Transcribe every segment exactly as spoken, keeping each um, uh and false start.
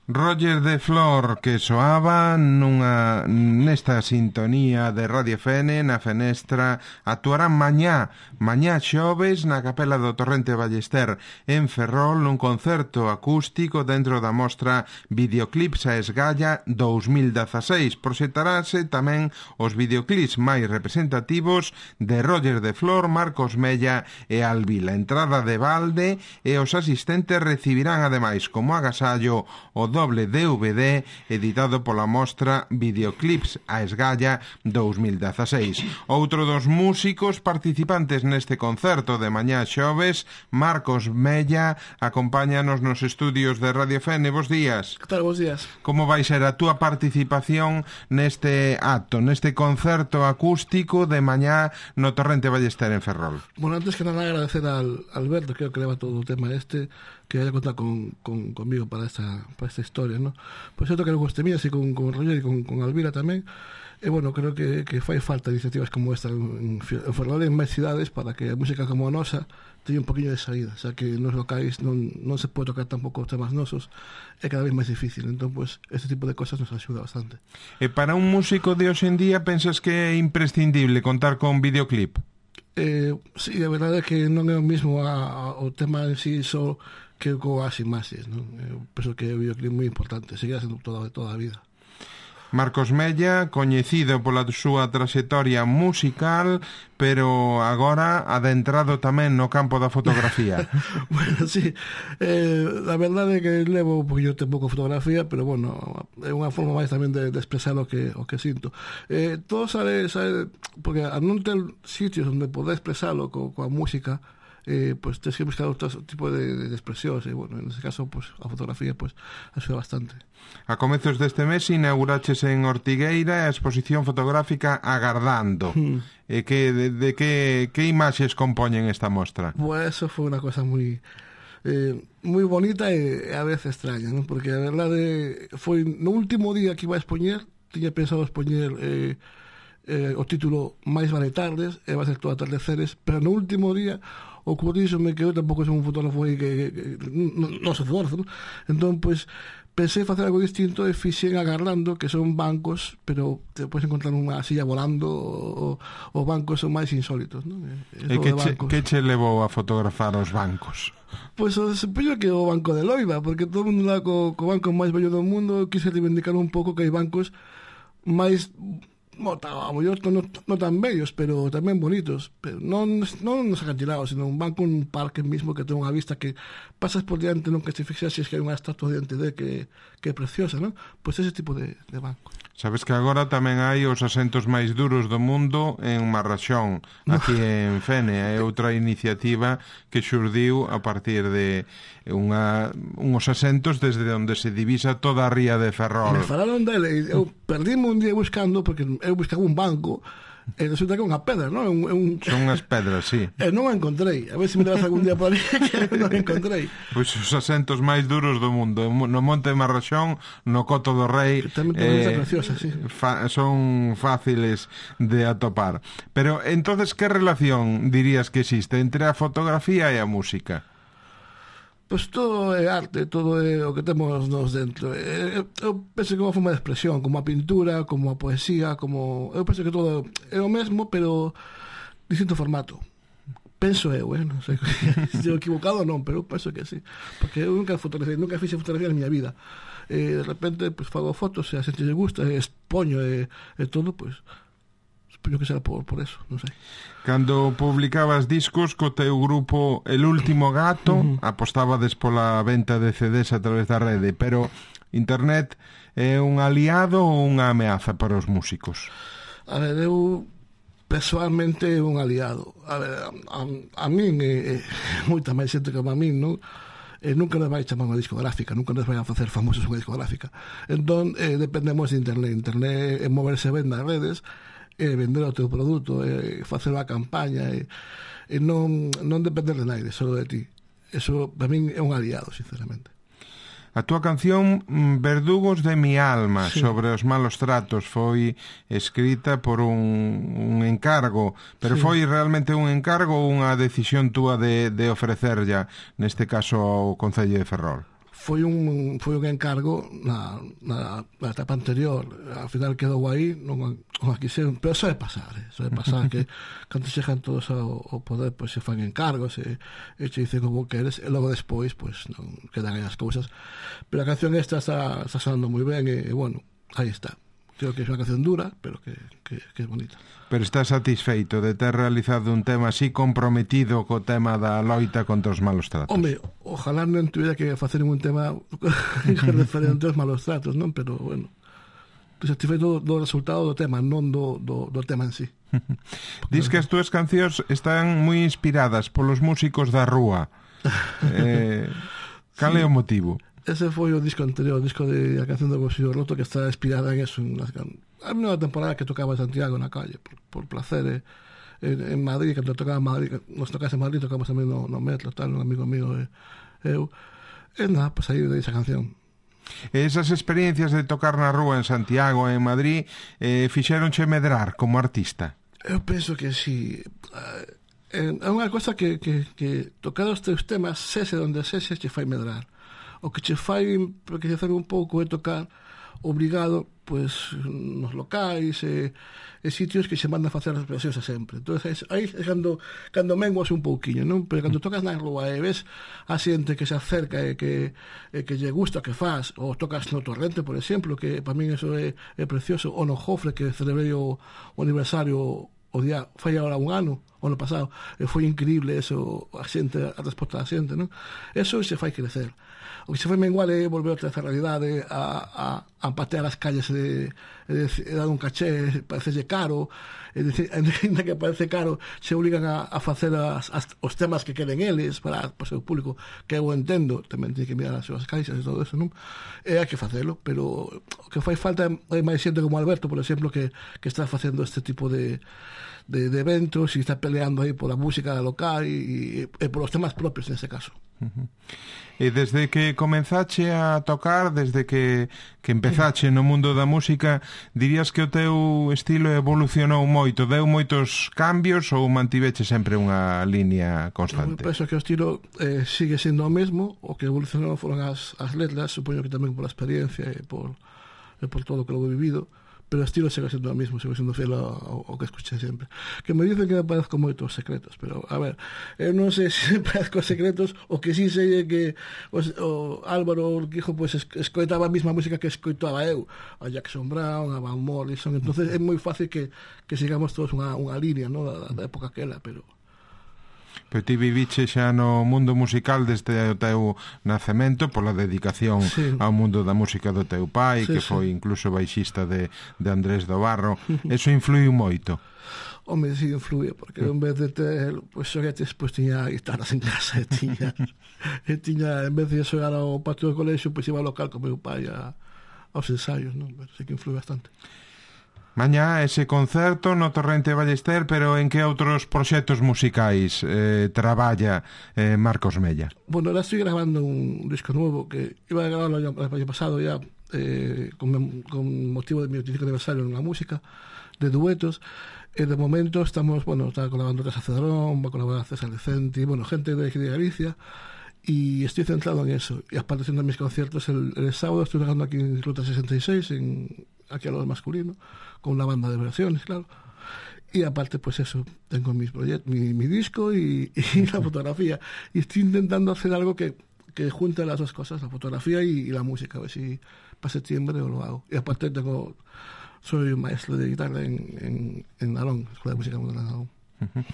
Roger de Flor, que soaba nunha nesta sintonía de Radio F N na Fenestra, actuarán mañá, mañá xoves na Capela do Torrente Ballester en Ferrol nun concerto acústico dentro da mostra Videoclips a Esgalla dous mil dezaseis. Proxectarase tamén os videoclips máis representativos de Roger de Flor, Marcos Mella e Alvila. Entrada de balde e os asistentes recibirán ademais como agasallo o doble D V D editado pola mostra Videoclips a Esgalla dous mil dezaseis. Outro dos músicos participantes neste concerto de mañá xoves, Marcos Mella, acompáñanos nos estudios de Radio F N. Bos días. Que tal, bos días. Como vai ser a túa participación neste acto, neste concerto acústico de mañá no Torrente Ballester en Ferrol? Bueno, antes que nada agradecer al Alberto, creo que leva todo o tema este, que haya contado con, con, conmigo para esta, para esta historia, ¿no? Por cierto que non gostei así con, con Roger e con, con Alvira tamén. E, bueno, creo que, que fai falta iniciativas como esta en, en Ferrol e en máis cidades para que a música como a nosa teña un poquinho de saída, xa que nos locais non, non se pode tocar tampouco os temas nosos, é cada vez máis difícil. Entón, pues, este tipo de cosas nos axuda bastante. E para un músico de hoxe en día pensas que é imprescindible contar con videoclip? Eh, sí, a verdade é que non é o mismo a, a, o tema en sí só que coas imaxes, non? Eu penso que é un videoclip moi importante, seguirá sendo toda, toda a vida. Marcos Mella, coñecido pola súa traxectoria musical, pero agora adentrado tamén no campo da fotografía. Bueno, sí, eh, a verdade é que levo un poquinho tempo con fotografía, pero bueno, é unha forma máis tamén de, de expresar o que, o que sinto. Eh, todo sale, sale, porque a non ter sitios onde poder expresarlo co, coa música, eh, pues tens que buscar outro tipo de, de expresións, e bueno, en ese caso, pues a fotografía pues axuda bastante. A comezos deste mes inauguraches en Ortigueira a exposición fotográfica Agardando. Mm. E que, de, de que, que imaxes compoñen esta mostra? Pues eso foi unha cosa moi eh, moi bonita e a veces extraña, ¿no? Porque a verdade foi no último día que iba a expoñer, tiña pensado expoñer eh, eh, o título Máis vale tardes, e va a ser todo atardeceres, pero no último día ocurrísome que eu tampouco son un fotógrafo que, que, que non, non sou fotógrafo, ¿no? Entón, pois, pensei facer algo distinto e fixen Agardando, que son bancos, pero te podes encontrar unha silla volando, o, os bancos son máis insólitos, ¿no? E, e que, che, que che levou a fotografar os bancos? Pois o desempeño que o Banco de Loiva, porque todo o mundo lá co, co banco máis bello do mundo, quise reivindicar un pouco que hai bancos máis... Bueno, a mellor non, non tan bellos, pero tamén bonitos, pero non, non nos acantilados, sino un banco, un parque mismo que ten unha vista que pasas por diante, non que te fixases que hai unha estatua diante de que, que é preciosa, non? Pois ese tipo de, de banco. Sabes que agora tamén hai os asentos máis duros do mundo en Marrachón, aquí en Fene. É outra iniciativa que xurdiu a partir de unha, unhos asentos desde onde se divisa toda a ría de Ferrol. Me falaron dele, eu perdíme un día buscando, porque eu buscaba un banco, e resulta que é unha pedra, non? Un, un... Son unhas pedras, sí. E non a encontrei. A ver se me levas algún día por ali, que non a encontrei. Pois os asentos máis duros do mundo, no Monte de Marrachón, no Coto do Rei, que tamén ten eh, preciosa, sí. fa, son fáciles de atopar. Pero, entonces, que relación dirías que existe entre a fotografía e a música? Pois todo é arte, todo é o que temos nos dentro. Eu, eu penso que é unha forma de expresión, como a pintura, como a poesía, como... Eu penso que todo é o mesmo, pero distinto formato. Penso eu, eh? Non sei se estou equivocado ou non, pero eu penso que sí. Porque eu nunca fotografía, nunca fixe fotografía na miña vida. E de repente, pues, fago fotos, e a xente lle gusta, e expoño, e, e todo, pois... Pues, supoño que será por, por eso, non sei. Cando publicabas discos co teu grupo El Último Gato, uh-huh. apostabades pola venta de C Ds a través da rede, pero internet é un aliado ou unha ameaza para os músicos? A ver, eu personalmente é un aliado. A ver, a, a, a min é, é moita máis xente que a min, non? E nunca nos vai chamar unha discográfica, nunca nos vai a facer famosos unha discográfica. Entón, eh, dependemos de internet. Internet é moverse ben nas redes, e vender o teu produto, e facer a campaña, e, e non, non depender de naide, só de ti. Eso, para min, é un aliado, sinceramente. A túa canción Verdugos de mi alma, sí, sobre os malos tratos, foi escrita por un, un encargo, pero sí, foi realmente un encargo ou unha decisión túa de, de ofrecerlla, neste caso, ao Concello de Ferrol? foi un foi un encargo na, na, na etapa anterior. Ao final quedou aí, non, non a quixeron, pero soe pasar, eh? soe pasar que cando chegan todos ao, ao poder, pois se fan encargos e, e che dicen como queres, e logo despois pois non quedan aí as cousas. Pero a canción esta está, está sonando moi ben e, e bueno, aí está. Creo que é unha canción dura, pero que, que, que é bonita. Pero estás satisfeito de ter realizado un tema así comprometido co tema da loita contra os malos tratos? Home, ojalá non tuviera que facer un tema referente aos malos tratos, non? Pero, bueno, satisfeito do, do resultado do tema, non do, do, do tema en sí. Diz que as túas cancións están moi inspiradas polos músicos da rúa. Eh, cal sí. é o motivo? Ese foi o disco anterior, o disco de A canción do bolsillo roto, que está inspirada en eso. En las, a unha temporada que tocaba en Santiago na calle, por, por placer, eh, en, en Madrid, cando tocaba en Madrid, nos tocase en Madrid, tocamos tamén no, no metro, tal, un amigo mío, eh, eu. E nada, pues aí de esa canción. Esas experiencias de tocar na rúa en Santiago, en Madrid, eh, fixeronche medrar como artista? Eu penso que sí. É unha cosa que, que, que tocar os teus temas, sese onde sese, che fai medrar. O que che fai enriquecer un pouco é tocar obrigado pois nos locais e, e sitios que se mandan a facer as expresións sempre. Entón, aí é cando, cando menguas un pouquiño, non? Pero cando tocas na rúa e ves a xente que se acerca e que, e que lle gusta o que faz, ou tocas no Torrente, por exemplo, que para min eso é, é precioso, ou no Jofre, que celebrei o, o aniversario o día, fai agora un ano, o ano pasado, e foi increíble eso, a xente, a resposta da xente, non? Eso se fai crecer. O que se foi mengual é volver outra vez a realidade, a, a, a patear as calles e, e, e dar un caché, parecelle caro, e dicir, ainda que parece caro, se obligan a, a facer as, as, os temas que queren eles para, para o seu público, que eu entendo, tamén ten que mirar as súas caixas e todo eso, non? E hai que facelo, pero o que fai falta é máis xente como Alberto, por exemplo, que, que está facendo este tipo de De, de eventos e está peleando aí pola música local e, e, e polos temas propios nese caso. Uh-huh. E desde que comenzache a tocar, desde que, que empezache no mundo da música, dirías que o teu estilo evolucionou moito, deu moitos cambios ou mantiveche sempre unha línea constante? Eu penso que o estilo eh, sigue sendo o mesmo, o que evolucionou foron as, as letras, supoño que tamén pola experiencia e por, e por todo o que logo vivido, pero o estilo segue sendo o mismo, segue sendo fiel ao, ao que escuché sempre. Que me dicen que me parezco moito aos Secretos, pero, a ver, eu non sei se me parezco aos Secretos, o que sí sei é que os, o Álvaro Urquijo pues, escoitaba a mesma música que escoitaba eu, a Jackson Brown, a Van Morrison, entonces é moi fácil que, que sigamos todos unha, unha línea, ¿no? da, da época aquela, pero... Pero ti viviche xa no mundo musical desde o teu nacemento pola dedicación sí. ao mundo da música do teu pai, sí, que foi sí. incluso baixista de, de Andrés do Barro. Eso influiu moito? Home, sí, influye, porque en vez de ter pues, xoguetes, pues tiña guitarras en casa e tiña, e tiña en vez de xogar ao patio do colexio, pues iba ao local con meu pai a, aos ensaios, non? Pero sí que influye bastante. Mañá ese concerto no Torrente Ballester, pero en que outros proxectos musicais eh, traballa eh, Marcos Mella? Bueno, ahora estoy grabando un disco nuevo que iba a grabarlo el año pasado ya eh, con, con motivo de mi veinticinco aniversario en la música, de duetos. E de momento estamos, bueno, está colaborando Casa Cedrón, va a colaborar César Decenti, bueno, gente de, de Galicia, y estoy centrado en eso. Y aparte haciendo mis conciertos, el, el sábado estoy tocando aquí en Ruta sesenta y seis, en, aquí a lo masculino, con una banda de versiones, claro. Y aparte, pues eso, tengo mis proyectos, mi, mi disco y, y la fotografía. Y estoy intentando hacer algo que, que junte las dos cosas, la fotografía y, y la música, a ver si para septiembre lo hago. Y aparte tengo... Soy un maestro de guitarra en, en, en Nalón, Escola de Música Moderna de Nalón. Uh-huh.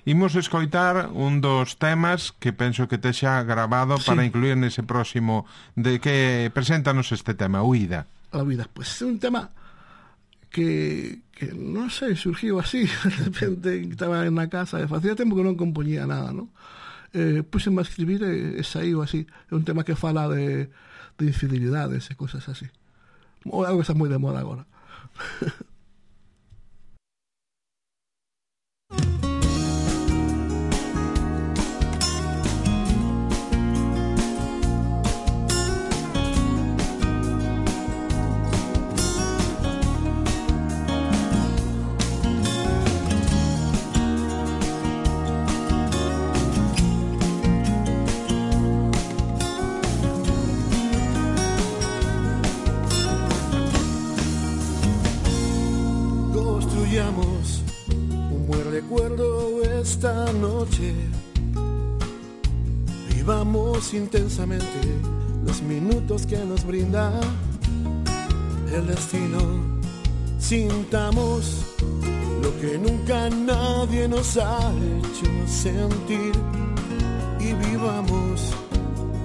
Imos escoitar un dos temas que penso que te xa grabado sí. para incluir nese próximo de que preséntanos este tema, Huida. A Huida, pues é un tema que, que non sei, surgiu así de repente, estaba na casa e facía tempo que non compoñía nada, non? Eh, puseme a escribir e, e saiu así. É un tema que fala de, de infidelidades e cosas así, ou algo que está moi de moda agora. recuerdo esta noche. Vivamos intensamente los minutos que nos brinda el destino. Sintamos lo que nunca nadie nos ha hecho sentir y vivamos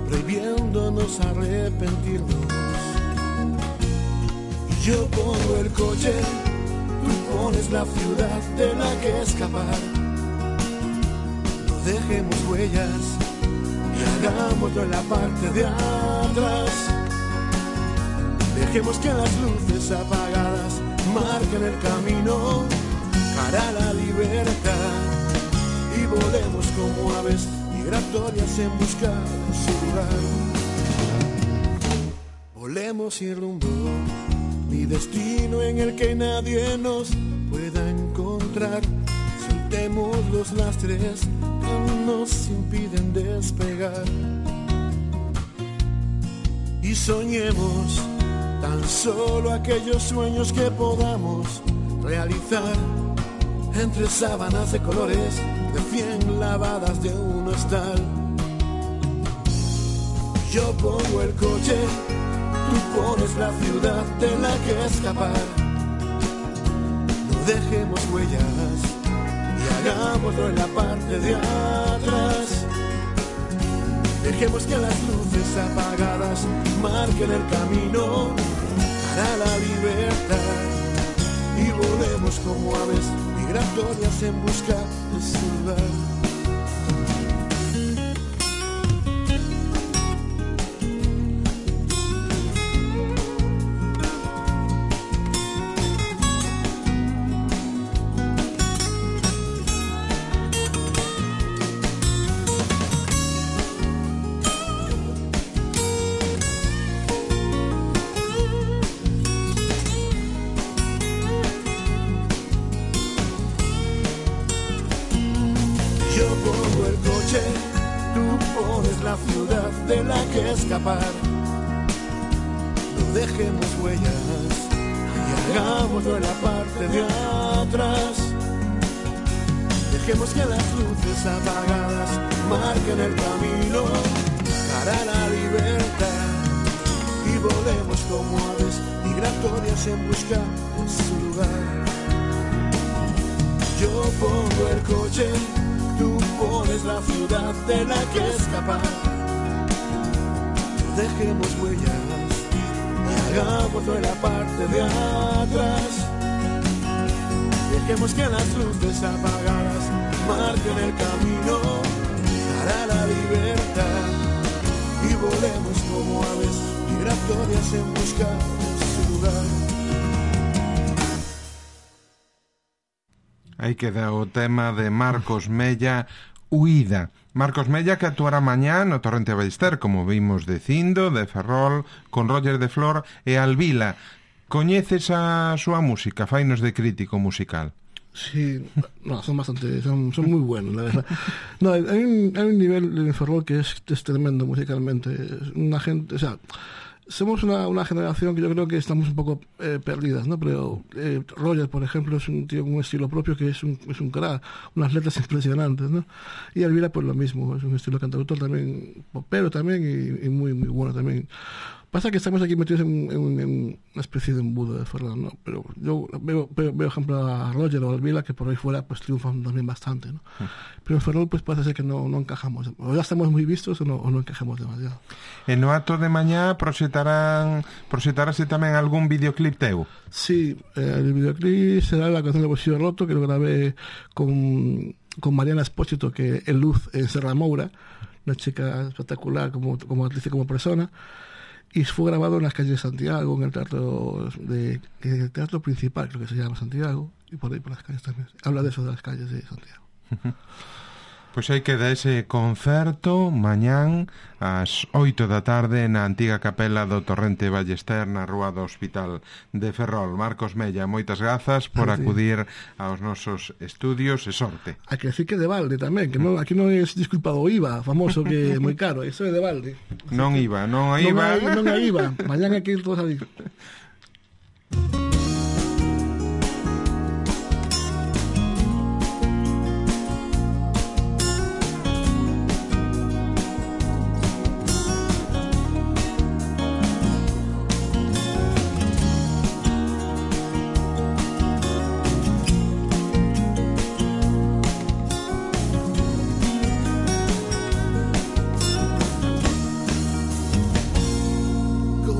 prohibiéndonos arrepentirnos. Y yo pongo el coche, tú pones la ciudad de la que escapar. No dejemos huellas y hagámoslo en la parte de atrás. Dejemos que las luces apagadas marquen el camino para la libertad y volemos como aves migratorias en busca de su lugar. Volemos sin rumbo, ni destino en el que nadie nos pueda encontrar. Soltemos los lastres que nos impiden despegar y soñemos tan solo aquellos sueños que podamos realizar entre sábanas de colores de cien lavadas de un hostal. Yo pongo el coche, tú pones la ciudad de la que escapar. No dejemos huellas y hagámoslo en la parte de atrás. Dejemos que las luces apagadas marquen el camino para la libertad y volemos como aves migratorias en busca de su lugar. Escapar. No dejemos huellas y hagámoslo en la parte de atrás. Dejemos que las luces apagadas marquen el camino para la libertad y volemos como aves migratorias en busca de su lugar. Yo pongo el coche, tú pones la ciudad de la que escapar. Dejemos huellas y hagámoslo en la parte de atrás. Dejemos que las luces apagadas marquen el camino para la libertad y volemos como aves migratorias en busca de su lugar. Aí queda o tema de Marcos Mella, Huida. Marcos Mella que actuará mañá no Torrente Ballester, como vimos dicindo, de Ferrol, con Roger de Flor e Alvila. Coñeces a súa música? Fainos de crítico musical. Sí, no, son bastante, son, son muy buenos, la verdad. No, hay un, hay un nivel en Ferrol que es, es tremendo musicalmente. Es una gente, o sea, somos una, una generación que yo creo que estamos un poco eh, perdidas, ¿no? Pero eh, Roger, por ejemplo, es un tío con un estilo propio que es un, es un crack, unas letras impresionantes, ¿no? Y Alvira, pues lo mismo, es un estilo cantautor también, popero también y, y muy, muy bueno también. Pasa que estamos aquí metidos en, en, en una especie de embudo de Ferrol, ¿no? Pero yo veo, veo, veo ejemplo a Roger o a Alvila que por ahí fuera pues triunfan también bastante, ¿no? Mm. Pero en Ferrol pues parece ser que no, no encajamos, o ya estamos muy vistos o no, o no encajamos demasiado. E no acto de mañá proxetarán, proxetarase tamén algún videoclip teu? Sí, eh, el videoclip será la canción de Bolsillo Roto, que lo grabé con, con Mariana Espósito, que es Luz en Serra Moura, una chica espectacular como, como actriz y como persona. Y fue grabado en las calles de Santiago, en el teatro de, en el teatro principal, creo que se llama Santiago, y por ahí por las calles también. Habla de eso, de las calles de Santiago. Pois aí queda ese concerto mañán ás oito da tarde na antiga capela do Torrente Ballester na rúa do Hospital de Ferrol. Marcos Mella, moitas grazas por acudir aos nosos estudios e sorte. Hai que decir que de balde tamén, que non, aquí non é disculpado o I V A famoso que é moi caro, iso é de balde. Así non I V A, non hai I V A. Non hai I V A, mañán hai que ir todos a ir.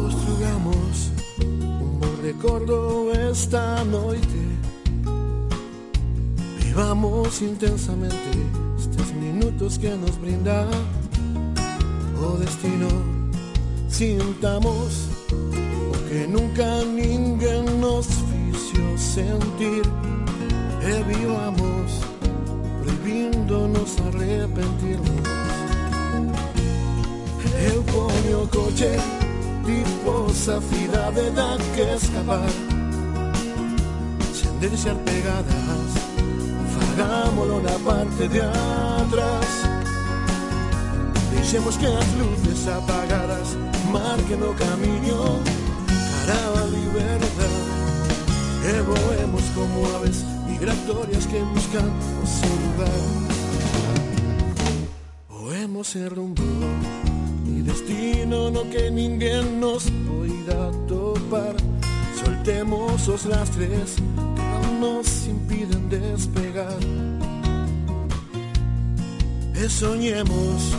Construgamos un bo recordo esta noite. Vivamos intensamente estes minutos que nos brinda o destino. Sintamos o que nunca ninguén nos fixo sentir. E vivamos prohibíndonos arrepentirnos. Eu poño o coche tipo esa cidade da que escapar, sen deixar pegadas, fagámolo na parte de atrás. Deixemos que as luces apagadas marquen o camiño cara a liberdade. E voemos como aves migratorias que buscan o seu lugar. Voemos en rumbo e destino no que ninguén nos poida topar. Soltemos os lastres que non nos impiden despegar. E soñemos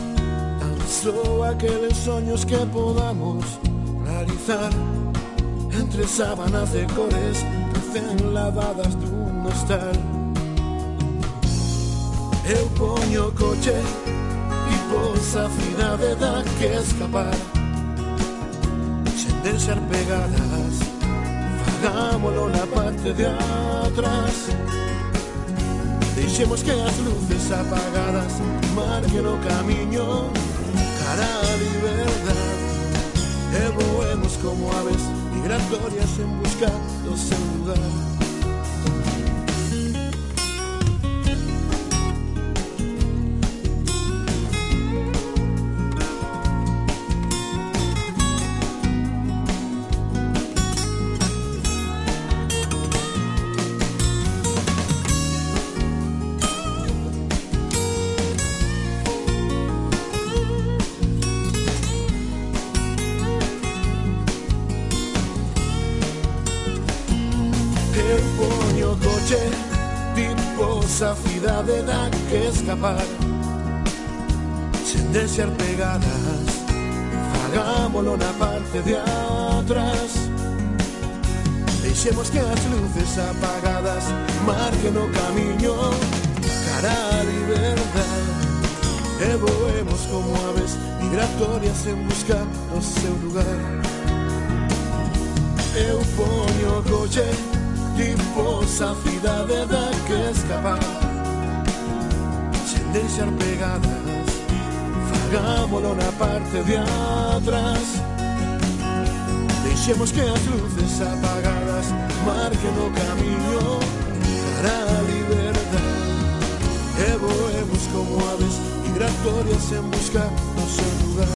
tan só aqueles soños que podamos realizar. Entre sábanas de cores recén lavadas dun hostal. Eu poño o coche tipo esa cidade da que escapar, sen deixar pegadas, fagámolo na parte de atrás. Deixemos que as luces apagadas marquen o camiño cara a liberdade. E voemos como aves migratorias en busca do seu lugar. Eu poño o coche tipo esa cidade da que escapar, sen deixar pegadas, fagámolo na parte de atrás. Deixemos que as luces apagadas marquen o camiño cara a liberdade. E voemos como aves migratorias en busca do seu lugar. Eu poño o coche tipo esa cidade da que escapar, sen deixar pegadas, fagámolo na parte de atrás. Deixemos que as luces apagadas marquen o camiño cara a liberdade. E voemos como aves migratorias en busca do seu lugar.